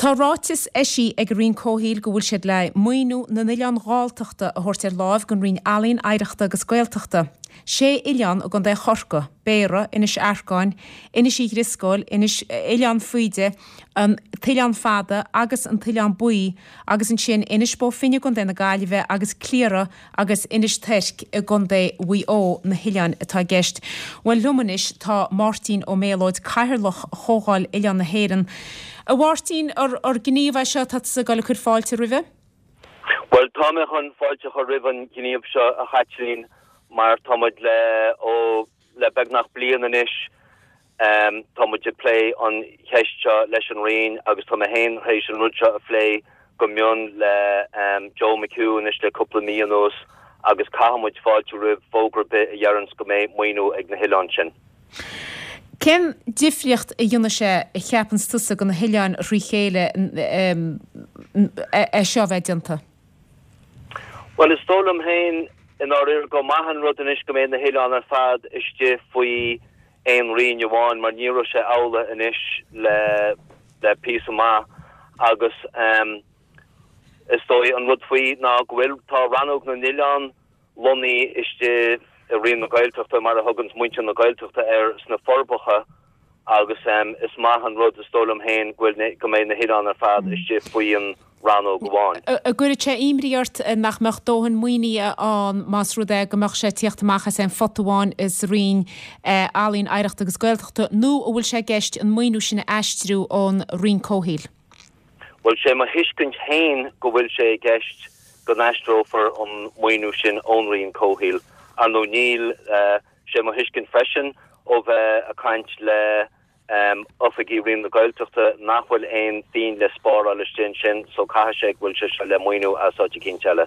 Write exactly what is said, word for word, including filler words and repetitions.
Tá ráiteas eisithe ag an Roinn Comhshaoil go bhfuil siad le maoiniú na n-oileán Galltachta a thabhairt ar láimh don Roinn Ealaíon, Oidhreachta agus Gaeltachta. Sé oileán i gContae Chorcaí, Béarra, Inis Arcáin, Inis Uí Dhrisceoil, Inis Oileán Faoide, an tOileán Fada agus an tOileán Buí agus ansin Inis Bó Finne i gContae na Gaillimhe agus Cliara agus Inis Toirc i gContae Mhaigh Eo na hoileáin atá i gceist. Bhuel liom anois tá Máirtín Ó Méalóid, Cathaoirleach Chomhdháil Oileán na hÉireann. A Mháirtín, ar gníomh é seo atá tusa ag dul ag cur fáilte roimhe? Bhuel tá mé chun fáilte a chur roimh an ghníomh seo a Chaitlín mar tá muid le ó le beagnach bliain anois tá muid ag plé an cheist seo leis an Roinn agus tá mé féin théis an rud seo a phlé go mion le Joe McHugh anois le cúpla mí anuas agus caithfidh muid fáilte roimh fógra ar bith a dheireanns go mbeidh maoiniú ag na hoileáin sin. Cén difríocht a dhéanfaidh sé a cheapanns tusa do na hoileáin thrí chéile é seo a bheith déanta? Bhuel is dóigh liom féin i ndáiríre gur maith an rud anois go mbeidh na hoileáin ar fad istigh faoi aon roinn amháin mar ní raibh sé amhlaidh anois le le píosa maith agus is dóigh an rud faoi ná go bhfuil tá rannóg na n-oileán lonnaithe istigh i Roinn na Gaeltachta mar a thuganns muintir na Gaeltachta air sna Forbacha agus is maith an rud is dóigh liom féin go bhfuil go mbeidh na hoileáin ar fad istigh faoi an rannóg amháin. An gcuirfeadh sé imní ort nach mbeadh dóthain maoinithe ann más rud é go mbeadh sé ag tíocht amach as aon phota amháin sa Roinn Ealaíon, Oidhreachta agus Gaeltachta nó an bhfuil sé i gceist an maoiniú sin a aistriú ón Roinn Comhshaoil? Bhuel sé mo thuiscint féin go bhfuil sé i gceist go n-aistreofar an maoiniú sin ón Roinn Comhshaoil. Ar ndóigh níl sé mo thuiscint freisin ó bheith ag caint le oifigigh Roinn na Gaeltachta nach bhfuil aon phingin le spáráil istigh ansin so caithfidh sé go bhfuil sé seo le maoiniú as áit eicínt eile.